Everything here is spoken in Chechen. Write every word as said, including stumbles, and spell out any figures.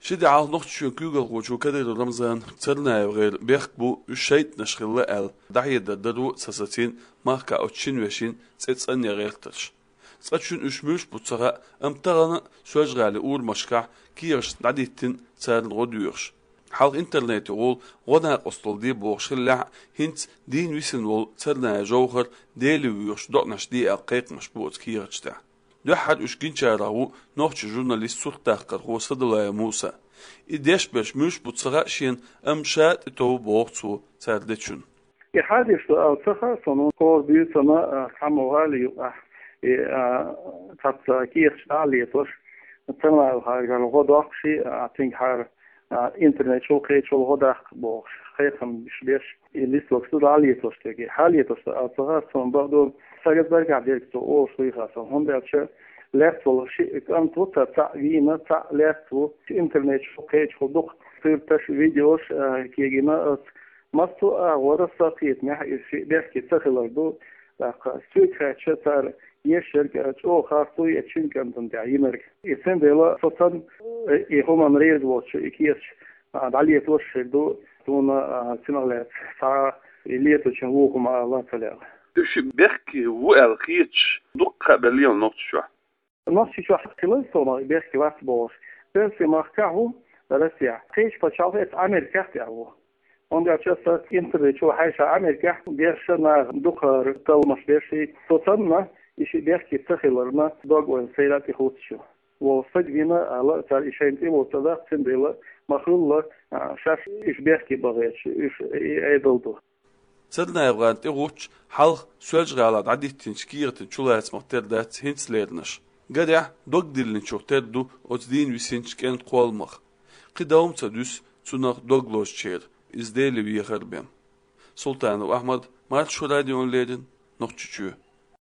Ши де хьалха Нохчийчоьнан куьйгалхочо Кадыров Рамзана ЦарнаевгӀеран бехк бу, уьш шайтӀанаш хилла аьлла, дӀахьедар даро ца сацийна махкахь оцу шина вешин цӀе цӀанъян гӀертарш. Цкъачунна уьш муьлш бу ца хаьа, амма тахана а Соьлжа-ГӀалин урамашкахь кехаташ дӀадиттина царна гӀо доьхуш. Хьалха интернете гӀолла гӀо-накъосталла де бохуш хиллехь а, хӀинца дийна висина волу Царнаев Жовхар Деле воьхуш доӀанаш де аьлла кхайкхамаш бу оцу кехаташ тӀехь. Дуьххьара уьш гинчарах ву нохчийн журналист, суртдаккхархо Садулаев Муса. И деш берш муьлш бу ца хаьа шена, амма ша тӀетов боху цо цара дечунна. И хьадеш ду аьлла ца хаьа суна, хӀора буьйсанна, а, цхьаммо гӀали юкъахь, и, а, цхьацца кехаташ дӀа а летош, Царнаевхарна гӀо доккхуш, а, цуьнгахьара, а, интернет чу кхечул гӀо даккха бохуш, кхайкхамаш беш, и листокаш ду дӀа а летош дерг. Хьалетош ду аьлла ца хаьа суна, бакъду, сагатдаргахь дерг цо олуш вуй хаьа суна, хӀунда аьлча лаьцна волу шиъ кӀант ву, цхьаъ вийна, цхьаъ лаьцна ву, интернет чу кхечухула дукха сурташ, видеош, а, кегийна оцу. Массо а агӀора сан кхетамехь, иза шиъ бехке ца хилар ду, тӀаккха соьга хаьттича, цара еш ерг чӀогӀа харц ву и цуьнан кӀантана тӀехь йинарг. И цундела со санна, и хӀуманна реза воцуш и кехаташ, а, дӀалетош хир ду, суна, а, цунах лаьцна цхьа а и леточун вон хӀума ала ца лаьа. Уьш бехке ву аьлла хеташ дуккха а белла ю Нохчийчохь. Нохчийчохь хилла суна бехке вац бохуш. Оьрсиймахкахь ву, Россехь. Кхечу пачхьалкх эцу Америкехь тӀехь ву. ХӀунда аьлча аса интернет чу хьаьжча, Америкехь берш наха дукхахара талламаш беш, со санна, и шиъ бехке ца хиларна дог-ойла сайна тӀехӀуттуш ю. Вон стаг вина аьлла, цара и шайна тӀе вутту даккха, цундела ма-хуьллу, а, шаьш уьш бехке бан гӀерташ, уьш и Ӏедал ду. ЦарнаевгӀарна тӀегӀуттуш, хьалха Соьлжа-ГӀалахь дӀадиттинчу кехатан чулацамах тера дац хӀинца леринарш. Гарехь, дог диллинчух тера ду оцу дийна висинчу кӀентан кхолламах. Кхин давма ца дуьсу цунах дог лозучеран, иза Деле вехар бен. Султанов Ахьмад, Маршо радиона леррина, Нохчийчоь.